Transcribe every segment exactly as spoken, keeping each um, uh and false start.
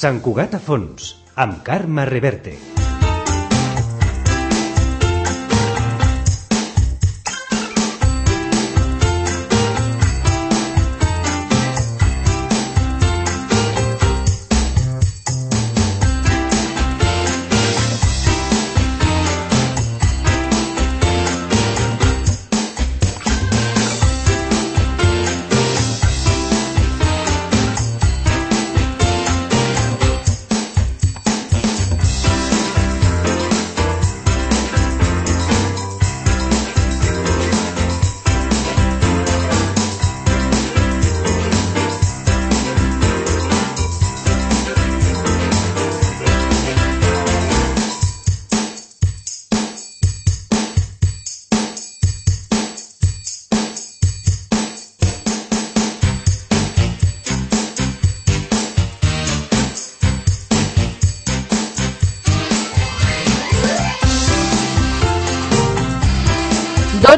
Sant Cugat a fons, amb Carme Reverte.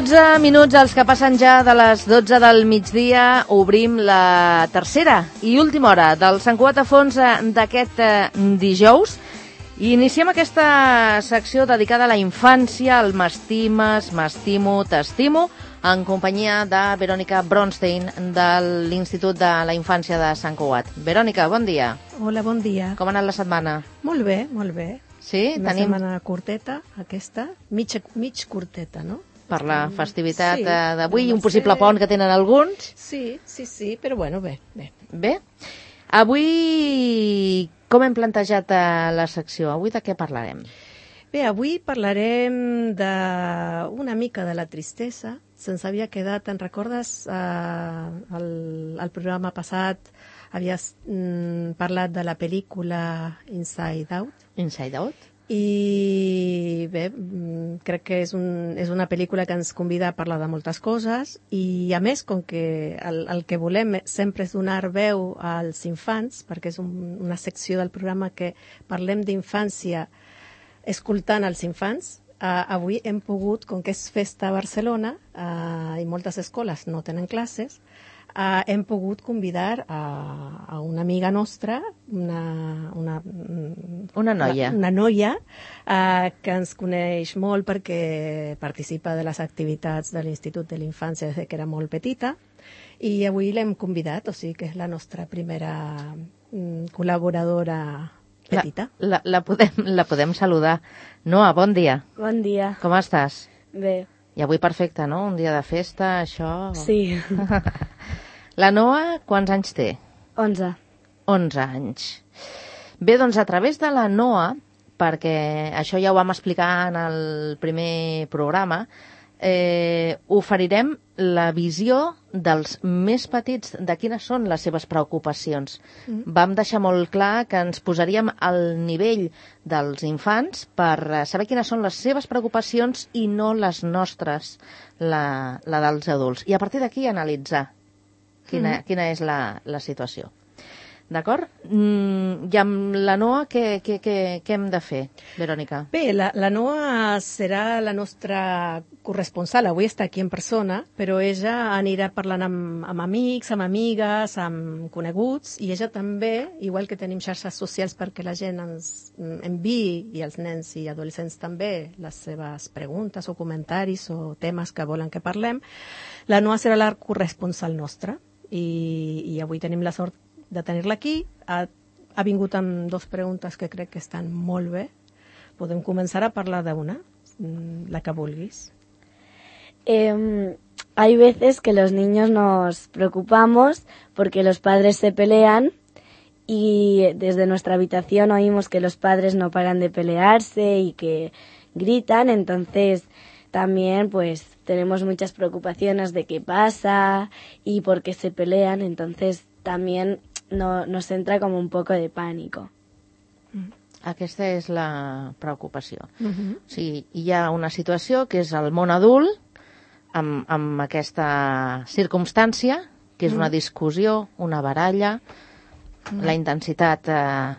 dotze minuts, els que passen ja de les dotze del migdia, obrim la tercera i última hora del Sant Cugat a fons d'aquest dijous. I iniciem aquesta secció dedicada a la infància, al m'estimes, m'estimo, t'estimo, en companyia de Verònica Bronstein, de l'Institut de la Infància de Sant Cugat. Verònica, bon dia. Hola, bon dia. Com ha anat la setmana? Molt bé, molt bé. Sí? Una Tenim... setmana curteta, aquesta, mig, mig curteta, no? Per la festivitat sí, d'avui i un possible ser... pont que tenen alguns. Sí, sí, sí, però bueno, bé, bé. Bé. Avui, com hem plantejat la secció? Avui de què parlarem? Bé, avui parlarem de una mica de la tristesa. Se'ns havia quedat, te'n recordes, eh, el, el programa passat havies mm, parlat de la pel·lícula Inside Out. Inside Out? I bé, crec que és, un, és una pel·lícula que ens convida a parlar de moltes coses i a més, com que el, el que volem sempre és donar veu als infants, perquè és un, una secció del programa que parlem d'infància escoltant els infants, eh, avui hem pogut, com que és festa a Barcelona eh, i moltes escoles no tenen classes, Uh, hem pogut convidar a, a una amiga nostra, una, una, una noia, una, una noia uh, que ens coneix molt perquè participa de les activitats de l'Institut de la Infància des que era molt petita, i avui l'hem convidat, o sigui que és la nostra primera um, col·laboradora petita. La, la, la, podem, la podem saludar. Noa, bon dia. Bon dia. Com estàs? Bé. I avui perfecte, no? Un dia de festa, això... Sí. La Noa, quants anys té? Onze. Onze anys. Bé, doncs a través de la Noa, perquè això ja ho vam explicar en el primer programa, eh, oferirem la visió dels més petits de quines són les seves preocupacions. Mm. Vam deixar molt clar que ens posaríem al nivell dels infants per saber quines són les seves preocupacions i no les nostres, la, la dels adults. I a partir d'aquí analitzar quina, mm. quina és la, la situació. D'acord? Mm, I amb la Noa, què, què, què, què hem de fer, Verònica? Bé, la, la Noa serà la nostra corresponsal. Avui està aquí en persona, però ella anirà parlant amb, amb amics, amb amigues, amb coneguts, i ella també, igual que tenim xarxes socials perquè la gent ens enviï, i els nens i adolescents també, les seves preguntes o comentaris o temes que volen que parlem, la Noa serà la corresponsal nostra, i, i avui tenim la sort de tenir-la aquí. Ha, ha vingut amb dos preguntes que crec que estan molt bé. Podem començar a parlar d'una, la que vulguis. Eh, hay veces que los niños nos preocupamos porque los padres se pelean y desde nuestra habitación oímos que los padres no paran de pelearse y que gritan, entonces también pues tenemos muchas preocupaciones de qué pasa y por qué se pelean, entonces también no, nos entra como un poco de pánico. Aquesta és la preocupació. Uh-huh. O sigui, hi ha una situació que és el món adult, amb, amb aquesta circumstància, que és una discussió, una baralla, uh-huh. la intensitat eh,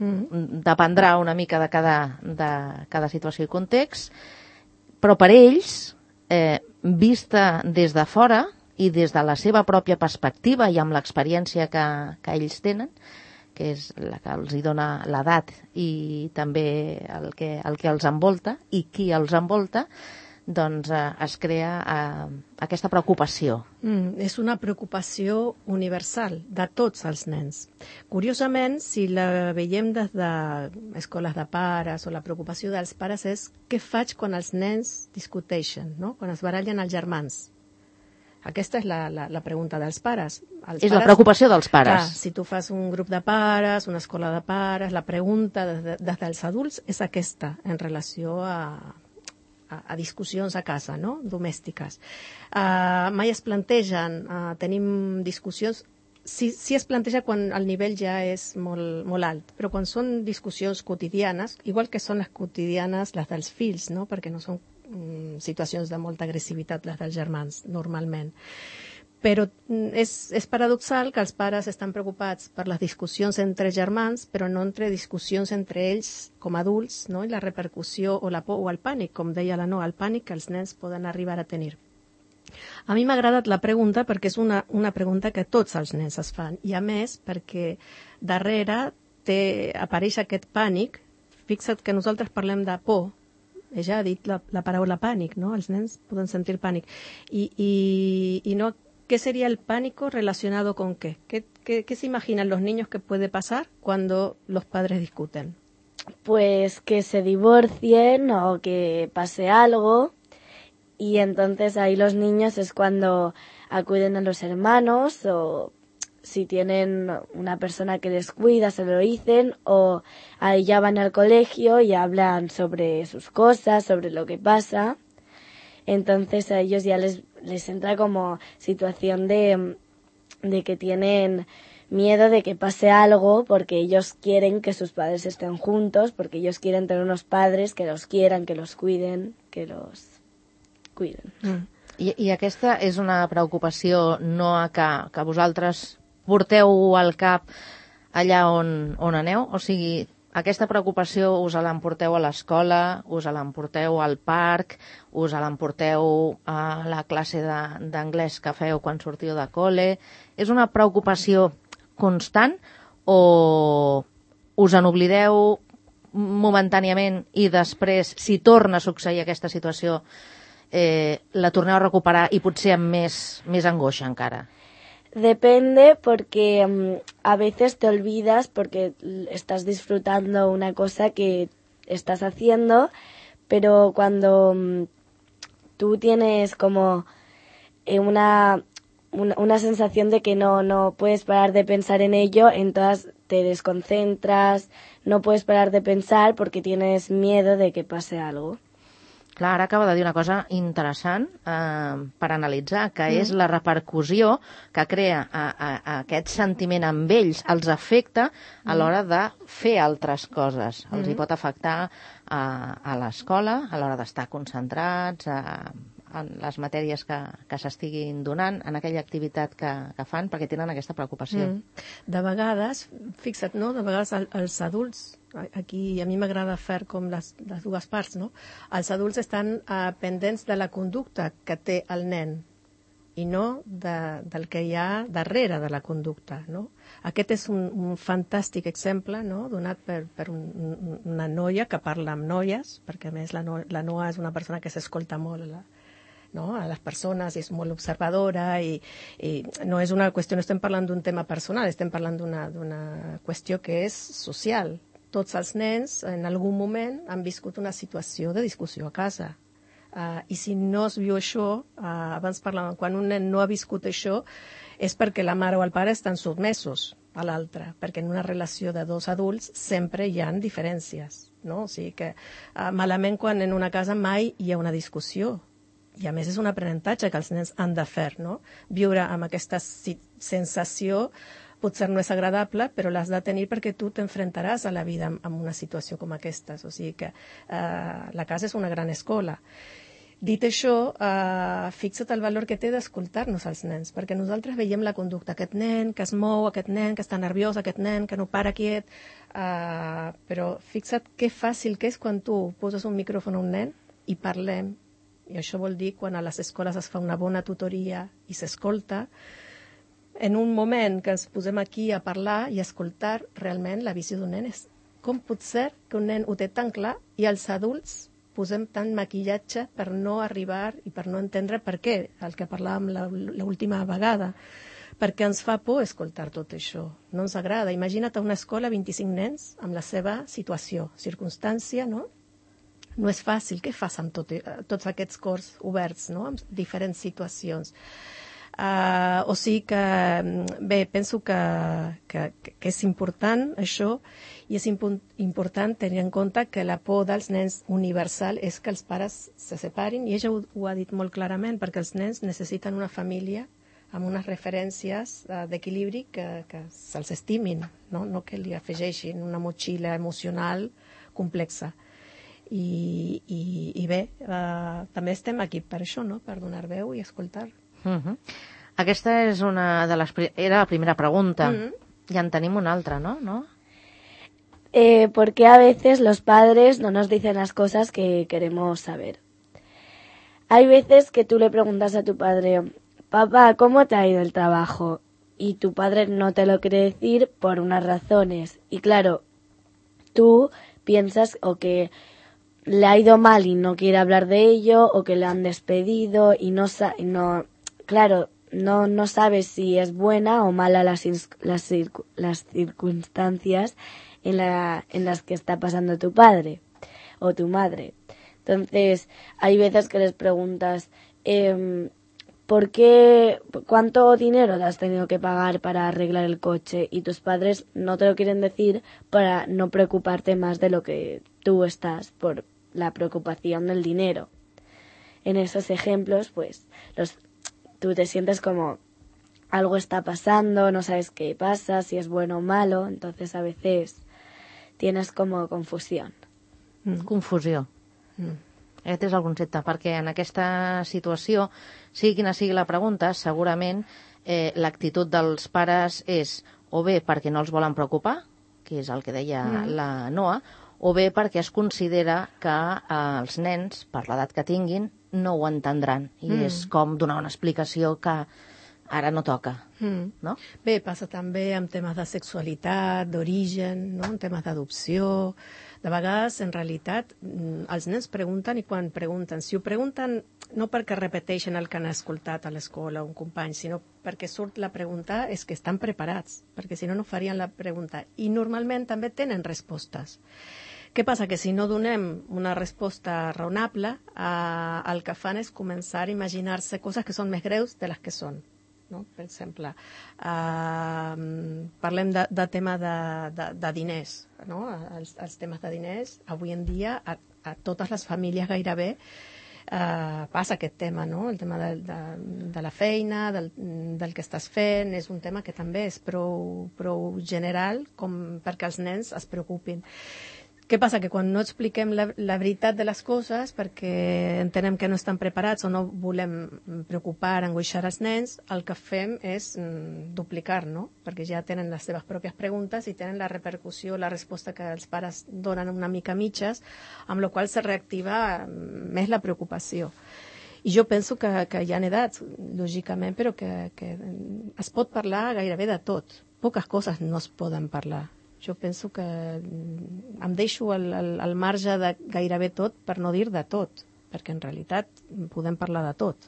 uh-huh. dependrà una mica de cada, de cada situació i context, però per ells, eh, vista des de fora, i des de la seva pròpia perspectiva i amb l'experiència que, que ells tenen, que és la que els hi dona l'edat i també el que, el que els envolta i qui els envolta, doncs eh, es crea eh, aquesta preocupació. Mm, és una preocupació universal de tots els nens. Curiosament, si la veiem des d'escoles de pares o la preocupació dels pares és què faig quan els nens discuteixen, no? Quan es barallen els germans. Aquesta és la, la, la pregunta dels pares. Els és pares, la preocupació dels pares. Clar, si tu fas un grup de pares, una escola de pares, la pregunta des, de, des dels adults és aquesta en relació a A, a discussions a casa, no? Domèstiques. Uh, mai es plantegen, uh, tenim discussions, sí, sí es planteja quan el nivell ja és molt, molt alt, però quan són discussions quotidianes, igual que són les quotidianes les dels fills, no? Perquè no són um, situacions de molta agressivitat les dels germans, normalment. Però és, és paradoxal que els pares estan preocupats per les discussions entre germans, però no entre discussions entre ells com a adults, no? I la repercussió o la por o el pànic, com deia la Noa, el pànic que els nens poden arribar a tenir. A mi m'ha agradat la pregunta perquè és una, una pregunta que tots els nens es fan, i a més perquè darrere té, apareix aquest pànic. Fixa't que nosaltres parlem de por, ella ha dit la, la paraula pànic, no? Els nens poden sentir pànic, i, i, i no. ¿Qué sería el pánico relacionado con qué? ¿Qué, qué, qué se imaginan los niños que puede pasar cuando los padres discuten? Pues que se divorcien o que pase algo, y entonces ahí los niños es cuando acuden a los hermanos, o si tienen una persona que les cuida se lo dicen, o ahí ya van al colegio y hablan sobre sus cosas, sobre lo que pasa. Entonces a ellos ya les, les entra como situación de, de que tienen miedo de que pase algo, porque ellos quieren que sus padres estén juntos, porque ellos quieren tener unos padres que los quieran, que los cuiden, que los cuiden. Mm. I, I aquesta és una preocupació no a que, que vosaltres porteu al cap allà on, on aneu? O sigui, aquesta preocupació us l'emporteu a l'escola, us l'emporteu al parc, us l'emporteu a la classe d'anglès que feu quan sortiu de col·le. És una preocupació constant o us en oblideu momentàniament i després, si torna a succeir aquesta situació, eh, la torneu a recuperar i potser amb més, més angoixa encara? Depende, porque um, a veces te olvidas porque estás disfrutando una cosa que estás haciendo, pero cuando um, tú tienes como eh, una, una, una sensación de que no, no puedes parar de pensar en ello, entonces te desconcentras, no puedes parar de pensar porque tienes miedo de que pase algo. Clar, ara acaba de dir una cosa interessant eh, per analitzar, que mm. és la repercussió que crea a, a, a aquest sentiment amb ells, els afecta a l'hora de fer altres coses. Mm. Els hi pot afectar a, a l'escola, a l'hora d'estar concentrats, a, en les matèries que, que s'estiguin donant, en aquella activitat que, que fan, perquè tenen aquesta preocupació. Mm. De vegades, fixa't, no? De vegades el, els adults, aquí a mi m'agrada fer com les, les dues parts, no? Els adults estan uh, pendents de la conducta que té el nen i no de, del que hi ha darrere de la conducta, no? Aquest és un, un fantàstic exemple, no? Donat per, per un, una noia que parla amb noies, perquè a més la, no, la Noa és una persona que s'escolta molt la, no? A les persones, és molt observadora i, i no és una qüestió, no estem parlant d'un tema personal, estem parlant d'una d'una qüestió que és social. Tots els nens en algun moment han viscut una situació de discussió a casa. Uh, I si no es viu això, uh, abans parlàvem, quan un nen no ha viscut això, és perquè la mare o el pare estan sotmesos a l'altre, perquè en una relació de dos adults sempre hi ha diferències, no? O sigui que uh, malament quan en una casa mai hi ha una discussió. I a més és un aprenentatge que els nens han de fer, no? Viure amb aquesta sensació potser no és agradable, però l'has de tenir perquè tu t'enfrontaràs a la vida amb una situació com aquesta. O sigui que eh, la casa és una gran escola. Dit això, eh, fixa't el valor que té d'escoltar-nos als nens, perquè nosaltres veiem la conducta. Aquest nen que es mou, aquest nen que està nerviós, aquest nen que no para quiet, eh, però fixa't que fàcil que és quan tu poses un micròfon a un nen i parlem. I això vol dir quan a les escoles es fa una bona tutoria i s'escolta, en un moment que ens posem aquí a parlar i a escoltar realment la visió d'un nen, és com pot ser que un nen ho té tan clar i els adults posem tant maquillatge per no arribar i per no entendre per què, el que parlàvem l'última vegada, perquè ens fa por escoltar tot això. No ens agrada. Imagina't a una escola vint-i-cinc nens amb la seva situació, circumstància, no? No és fàcil. Què fas amb tot, tots aquests cors oberts, no? Amb diferents situacions. Uh, o sigui que, bé, penso que, que, que és important això, i és impo important tenir en compte que la por dels nens universal és que els pares se separin, i ella ho, ho ha dit molt clarament, perquè els nens necessiten una família amb unes referències uh, d'equilibri que, que se'ls estimin, no? No que li afegeixin una motxilla emocional complexa. I, i, i bé, uh, també estem aquí per això, no? Per donar veu i escoltar. Uh-huh. Aquesta és una de les... Era la primera pregunta. Uh-huh. Ja en tenim una altra, ¿no? ¿No? Eh, ¿Por qué a veces los padres no nos dicen las cosas que queremos saber? Hay veces que tú le preguntas a tu padre, papá, ¿cómo te ha ido el trabajo? Y tu padre no te lo quiere decir por unas razones. Y claro, tú piensas o que le ha ido mal y no quiere hablar de ello, o que le han despedido y no, no claro, no, no sabes si es buena o mala las, las, las circunstancias en, la, en las que está pasando tu padre o tu madre. Entonces, hay veces que les preguntas, eh, ¿por qué, cuánto dinero le has tenido que pagar para arreglar el coche? Y tus padres no te lo quieren decir para no preocuparte más de lo que tú estás por la preocupación del dinero. En esos ejemplos, pues, los, tú te sientes como algo está pasando, no sabes qué pasa, si es bueno o malo, entonces a veces tienes como confusión. Mm. Confusió. Mm. Aquest és el concepte, perquè en aquesta situació, sigui quina sigui la pregunta, segurament eh, l'actitud dels pares és o bé perquè no els volen preocupar, que és el que deia mm. la Noa, o bé perquè es considera que eh, els nens, per l'edat que tinguin, no ho entendran. I mm. és com donar una explicació que ara no toca. Mm. No? Bé, passa també amb temes de sexualitat, d'origen, no? En temes d'adopció. De vegades, en realitat, els nens pregunten, i quan pregunten, si ho pregunten no perquè repeteixen el que han escoltat a l'escola un company, sinó perquè surt la pregunta, és que estan preparats, perquè si no, no farien la pregunta. I normalment també tenen respostes. Què passa? Que si no donem una resposta raonable, eh, el que fan és començar a imaginar-se coses que són més greus de les que són. No? Per exemple, uh, parlem de, de tema de, de, de diners, no? els, els temes de diners, avui en dia a, a totes les famílies gairebé uh, passa aquest tema, no? El tema de, de, de la feina, del, del que estàs fent, és un tema que també és prou, prou general com perquè els nens es preocupin. Què passa? Que quan no expliquem la, la veritat de les coses, perquè entenem que no estan preparats o no volem preocupar, angoixar els nens, el que fem és mm, duplicar, no? Perquè ja tenen les seves pròpies preguntes i tenen la repercussió, la resposta que els pares donen una mica mitges, amb la qual se reactiva més la preocupació. I jo penso que, que hi ha edats, lògicament, però que, que es pot parlar gairebé de tot. Poques coses no es poden parlar. Jo penso que em deixo al, al, al marge de gairebé tot per no dir de tot, perquè en realitat podem parlar de tot.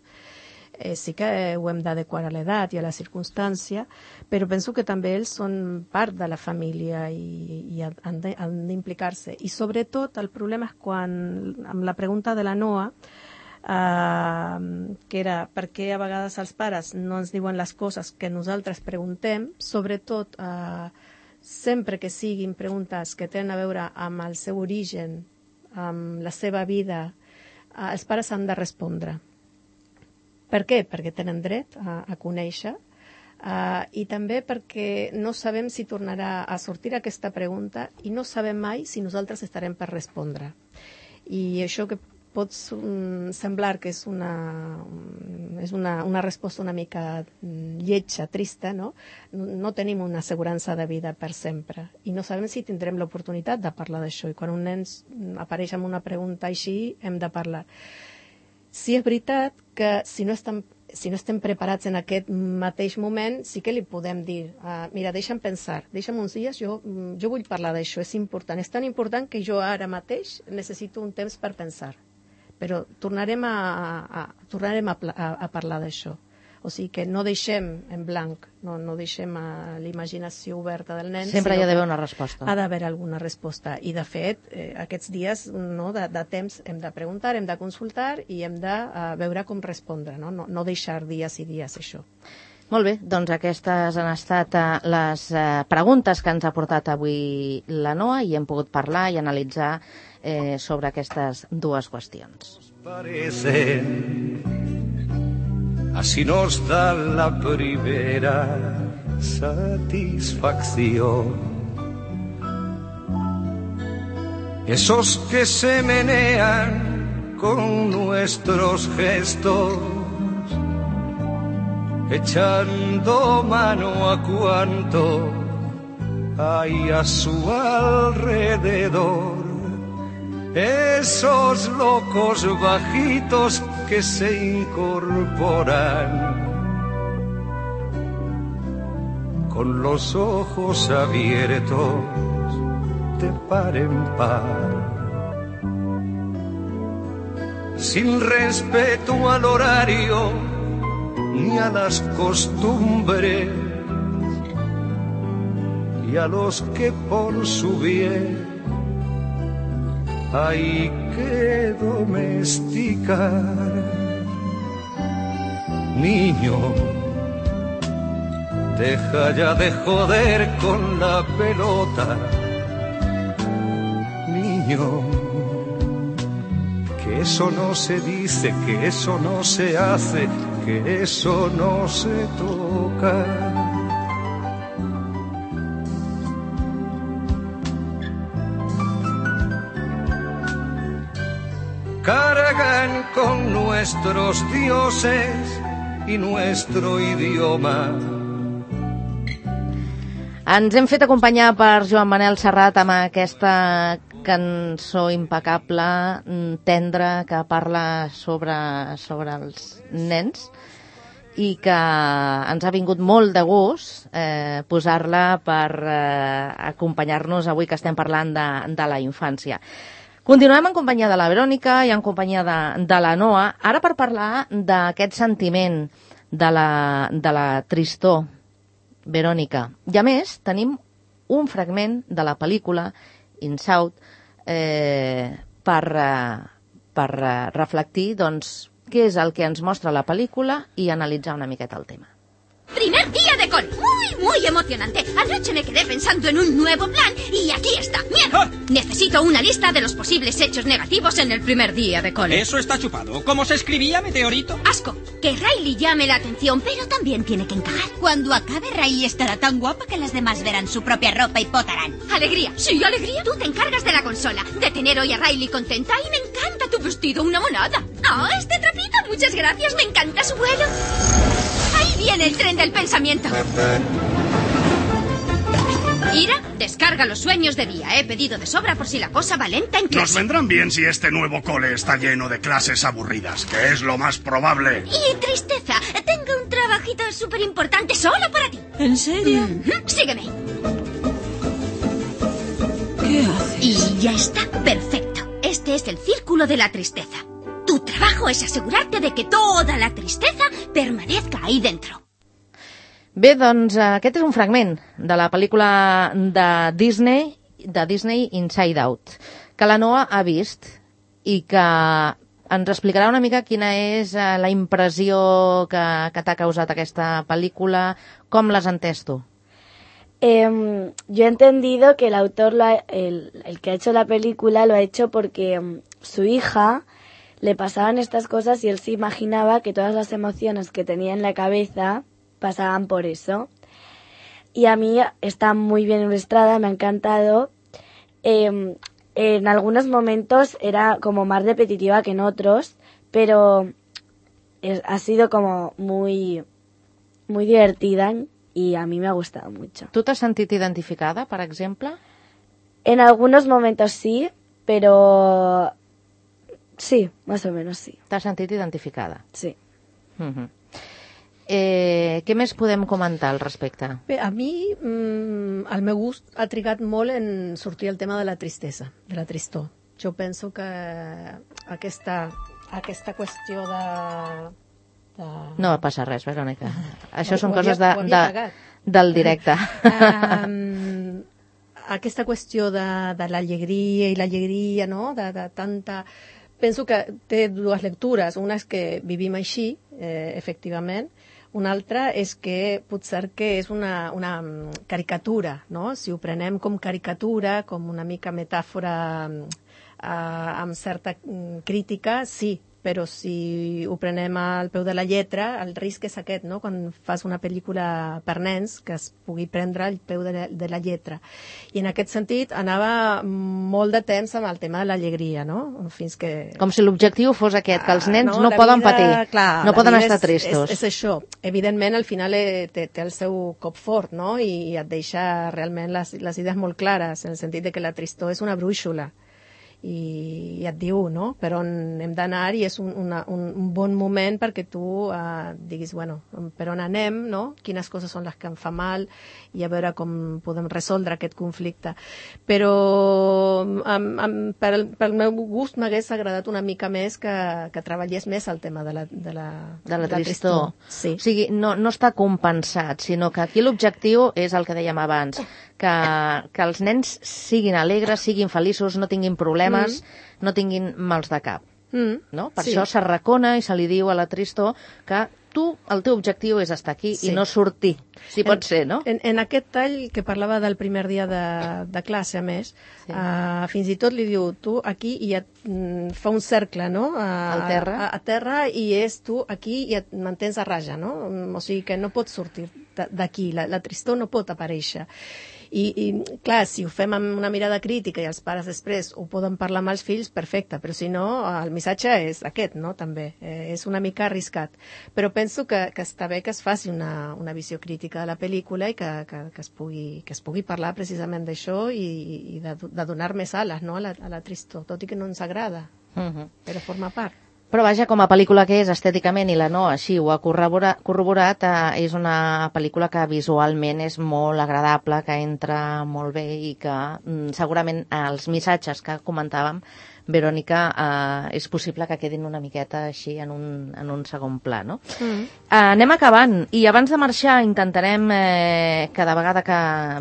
Eh, sí que ho hem d'adequar a l'edat i a la circumstància, però penso que també ells són part de la família i, i han d'implicar-se. I sobretot el problema és quan, amb la pregunta de la Noa, eh, que era per què a vegades els pares no ens diuen les coses que nosaltres preguntem, sobretot eh, sempre que siguin preguntes que tenen a veure amb el seu origen, amb la seva vida, eh, els pares han de respondre. Per què? Perquè tenen dret a, a conèixer, eh, i també perquè no sabem si tornarà a sortir aquesta pregunta i no sabem mai si nosaltres estarem per respondre. I això que pot um, semblar que és una, és una, una resposta una mica lletja, trista, no? No, no tenim una assegurança de vida per sempre i no sabem si tindrem l'oportunitat de parlar d'això, i quan un nen apareix amb una pregunta així hem de parlar. Sí és veritat que si no estan si no estem preparats en aquest mateix moment, sí que li podem dir, uh, mira, deixa'm pensar, deixa'm uns dies, jo, jo vull parlar d'això, és important, és tan important que jo ara mateix necessito un temps per pensar, però tornarem a, a, a, tornarem a, a, a parlar d'això. O sigui que no deixem en blanc, no, no deixem a l'imaginació oberta del nen. Sempre hi ha d'haver una resposta. Ha d'haver alguna resposta. I, de fet, eh, aquests dies no, de, de temps hem de preguntar, hem de consultar i hem de uh, veure com respondre, no? No, no deixar dies i dies això. Molt bé, doncs aquestes han estat uh, les uh, preguntes que ens ha portat avui la Noa i hem pogut parlar i analitzar eh, sobre aquestes dues qüestions. Así nos da la primera satisfacción. Esos que se menean con nuestros gestos, echando mano a cuanto hay a su alrededor. Esos locos bajitos que se incorporan con los ojos abiertos de par en par, sin respeto al horario ni a las costumbres, y a los que por su bien hay que domesticar. Niño, deja ya de joder con la pelota. Niño, que eso no se dice, que eso no se hace, que eso no se toca. Cargan con nuestros dioses y nuestro idioma. Ens hem fet acompanyar per Joan Manel Serrat amb aquesta cançó impecable, tendra, que parla sobre, sobre els nens i que ens ha vingut molt de gust eh, posar-la per eh, acompanyar-nos avui que estem parlant de, de la infància. Continuem en companyia de la Verònica i en companyia de, de la Noa, ara per parlar d'aquest sentiment de la, de la tristor, Verònica. I a més, tenim un fragment de la pel·lícula Inside eh, per, eh, per eh, reflectir doncs, què és el que ens mostra la pel·lícula i analitzar una miqueta el tema. Primer día de cole. Muy, muy emocionante. Anoche me quedé pensando en un nuevo plan y aquí está. ¡Mierda! ¡Ah! Necesito una lista de los posibles hechos negativos en el primer día de cole. Eso está chupado. ¿Cómo se escribía, meteorito? Asco. Que Riley llame la atención, pero también tiene que encajar. Cuando acabe, Riley estará tan guapa que las demás verán su propia ropa y potarán. Alegría. Sí, alegría. Tú te encargas de la consola, de tener hoy a Riley contenta y me encanta tu vestido, una monada. Ah, oh, este trapito, muchas gracias, me encanta su vuelo. Ahí viene el tren del pensamiento. Ira, descarga los sueños de día. He pedido de sobra por si la cosa va lenta en clase. Nos vendrán bien si este nuevo cole está lleno de clases aburridas, que es lo más probable. Y tristeza. Tengo un trabajito súper importante solo para ti. ¿En serio? Mm-hmm. Sígueme. ¿Qué haces? Y ya está. Perfecto. Este es el círculo de la tristeza. Tu trabajo es asegurarte de que toda la tristeza permanezca ahí dentro. Bé, doncs aquest és un fragment de la pel·lícula de Disney, de Disney Inside Out, que la Noa ha vist i que ens explicarà una mica quina és la impressió que, que t'ha causat aquesta pel·lícula, com l'has entès tu? Eh, yo he entendido que el autor, lo ha, el, el que ha hecho la película, lo ha hecho porque um, su hija le pasaban estas cosas y él se imaginaba que todas las emociones que tenía en la cabeza pasaban por eso. Y a mí está muy bien ilustrada, me ha encantado. Eh, en algunos momentos era como más repetitiva que en otros, pero es, ha sido como muy, muy divertida y a mí me ha gustado mucho. Tu t'has sentit identificada, per exemple? En algunos momentos sí, pero... Sí, más o menos sí. T'has sentit identificada? Sí. Uh-huh. Eh, què més podem comentar al respecte? Bé, a mi mm, el meu gust ha trigat molt en sortir el tema de la tristesa, de la tristor. Jo penso que aquesta, aquesta qüestió de... de... No passa res, Verònica. Això Ho- són ho coses havia- de, ho havia de, pagat. del directe. Um, aquesta qüestió de, de l'alegria i l'alegria, no?, de, de tanta... Penso que té dues lectures. Una és que vivim així, eh, efectivament. Una altra és que potser que és una, una mm, caricatura, no? Si ho prenem com caricatura, com una mica metàfora eh, amb certa mm, crítica, sí, però si ho prenem al peu de la lletra, el risc és aquest, no?, quan fas una pel·lícula per nens, que es pugui prendre al peu de la, de la lletra. I en aquest sentit anava molt de temps amb el tema de l'alegria, no?, fins que... Com si l'objectiu fos aquest, que els nens Ah, no, no la poden vida, patir, clar, no la poden vida estar és, tristos. És, és això. Evidentment, al final eh, té, té el seu cop fort, no?, i et deixa realment les, les idees molt clares, en el sentit de que la tristor és una brúixola. I, i et diu, no?, per on hem d'anar, i és un, una, un, un bon moment perquè tu eh, diguis, bueno, per on anem, no?, quines coses són les que em fa mal, i a veure com podem resoldre aquest conflicte. Però um, um, pel, pel meu gust m'hagués agradat una mica més que, que treballés més el tema de la, de la, De la tristor. Sí. O sigui, no, no està compensat, sinó que aquí l'objectiu és el que dèiem abans, que, que els nens siguin alegres, siguin feliços, no tinguin problemes, mm. no tinguin mals de cap. Mm. No? Per Sí. això s'arracona i se li diu a la tristor que tu, el teu objectiu és estar aquí Sí. i no sortir, si pot ser, no? En, en aquest tall que parlava del primer dia de, de classe, a més, sí. uh, fins i tot li diu, tu aquí, i et mm, fa un cercle, no?, a, Al terra. A, a terra, i és tu aquí i et mantens a raja, no? O sigui que no pots sortir de- d'aquí, la, la tristor no pot aparèixer. I, i, clar, si ho fem amb una mirada crítica i els pares després ho poden parlar amb els fills, perfecte, però si no, el missatge és aquest, no?, també. Eh, és una mica arriscat. Però penso que, que està bé que es faci una, una visió crítica de la pel·lícula i que, que, que, es, pugui, que es pugui parlar precisament d'això i, i de, de donar més ales, no?, a la, a la tristor, tot i que no ens agrada, Uh -huh. però forma part. Però vaja, com a pel·lícula que és estèticament, i la no així ho ha corroborat, corroborat eh, és una pel·lícula que visualment és molt agradable, que entra molt bé i que mm, segurament els missatges que comentàvem, Verònica, eh, és possible que quedin una miqueta així en un, en un segon pla, no? Mm. Eh, anem acabant, i abans de marxar intentarem, eh, cada vegada que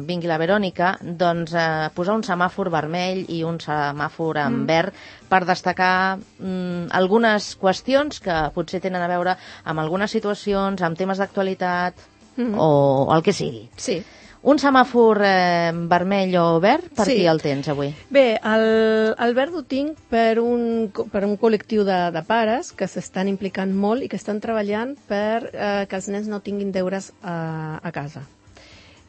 vingui la Verònica, doncs eh, posar un semàfor vermell i un semàfor en Mm. verd per destacar mm, algunes qüestions que potser tenen a veure amb algunes situacions, amb temes d'actualitat Mm. o el que sigui. Sí. Un semàfor eh, vermell o verd, per Sí. qui el tens avui? Bé, el, el verd ho tinc per un, co- per un col·lectiu de, de pares que s'estan implicant molt i que estan treballant per eh, que els nens no tinguin deures a, a casa.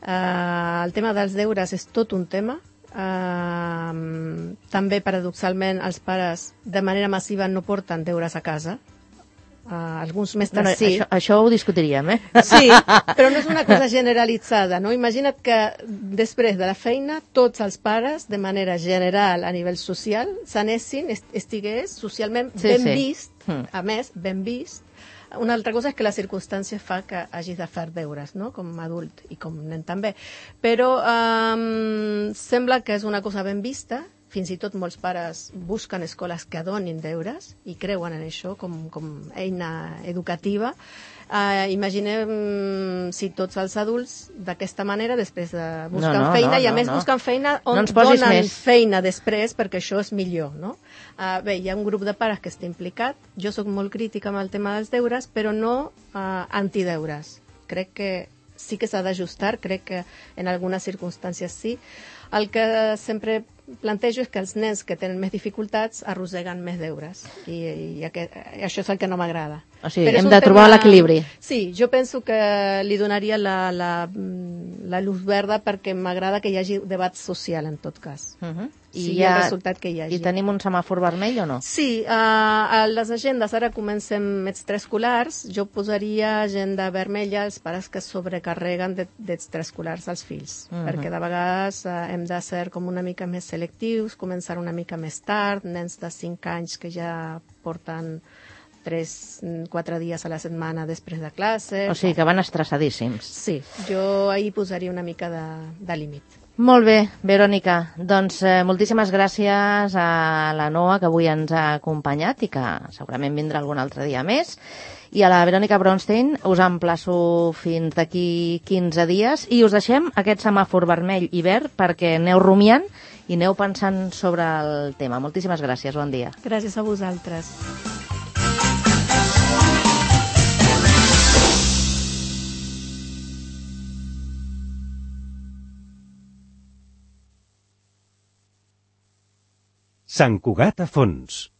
Eh, el tema dels deures és tot un tema. Eh, també, paradoxalment, els pares de manera massiva no porten deures a casa. Uh, alguns mestres Bueno, sí. això, això ho discutiríem, eh? Sí, però no és una cosa generalitzada, no? Imagina't que després de la feina tots els pares, de manera general a nivell social, s'anessin, est estigués socialment Sí, ben sí. vist, Mm. a més, ben vist. Una altra cosa és que la circumstància fa que hagis de fer deures, no?, com a adult i com nen també. Però um, sembla que és una cosa ben vista. Fins i tot molts pares busquen escoles que donin deures i creuen en això com, com eina educativa. Uh, imaginem si tots els adults d'aquesta manera després de buscar No, no, feina no, i a no, més no. busquen feina on No ens posis donen més. feina després perquè això és millor, no? Uh, bé, hi ha un grup de pares que està implicat. Jo sóc molt crítica amb el tema dels deures, però no uh, antideures. Crec que sí que s'ha d'ajustar, crec que en algunes circumstàncies sí. El que sempre plantejo és que els nens que tenen més dificultats arrosseguen més deures i, i, aquest, i això és el que no m'agrada. O sigui, Però és hem un de trobar tema- l'equilibri. Sí, jo penso que li donaria la, la, la luz verda perquè m'agrada que hi hagi debat social en tot cas. Uh -huh. I, sigui ja, el resultat que hi hagi. I tenim un semàfor vermell o no? Sí, uh, a les agendes ara comencem extraescolars. Jo posaria agenda vermella als pares que sobrecarreguen de- d'extraescolars als fills, Mhm. perquè de vegades uh, hem de ser com una mica més selectius, començar una mica més tard, nens de cinc anys que ja porten tres, quatre dies a la setmana després de classe. O sigui que van estressadíssims. Sí, jo ahir posaria una mica de, de límit. Molt bé, Verònica. Doncs eh, moltíssimes gràcies a la Noa, que avui ens ha acompanyat i que segurament vindrà algun altre dia més. I a la Verònica Bronstein us emplaço fins d'aquí quinze dies i us deixem aquest semàfor vermell i verd perquè aneu rumiant i aneu pensant sobre el tema. Moltíssimes gràcies, bon dia. Gràcies a vosaltres. Sant Cugat a fons.